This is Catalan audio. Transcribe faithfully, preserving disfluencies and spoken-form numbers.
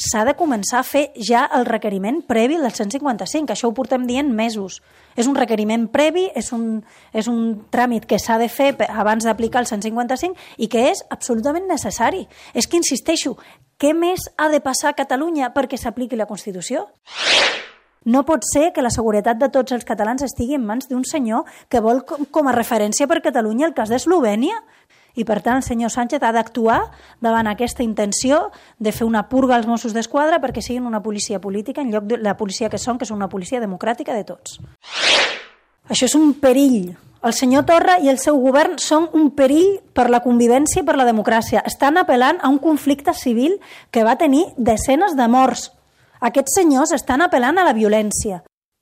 s'ha de començar a fer ja el requeriment previ del cent cinquanta-cinc. Això ho portem dient mesos. És un requeriment previ, és un, és un tràmit que s'ha de fer abans d'aplicar el cent cinquanta-cinc i que és absolutament necessari. És que, insisteixo, què més ha de passar a Catalunya perquè s'apliqui la Constitució? No pot ser que la seguretat de tots els catalans estigui en mans d'un senyor que vol com a referència per Catalunya el cas d'Eslovènia. I, per tant, el senyor Sánchez ha d'actuar davant aquesta intenció de fer una purga als Mossos d'Esquadra perquè siguin una policia política en lloc de la policia que són, que és una policia democràtica de tots. Això és un perill. El senyor Torra i el seu govern són un perill per la convivència i per la democràcia. Estan apel·lant a un conflicte civil que va tenir desenes de morts. Aquests senyors estan apel·lant a la violència.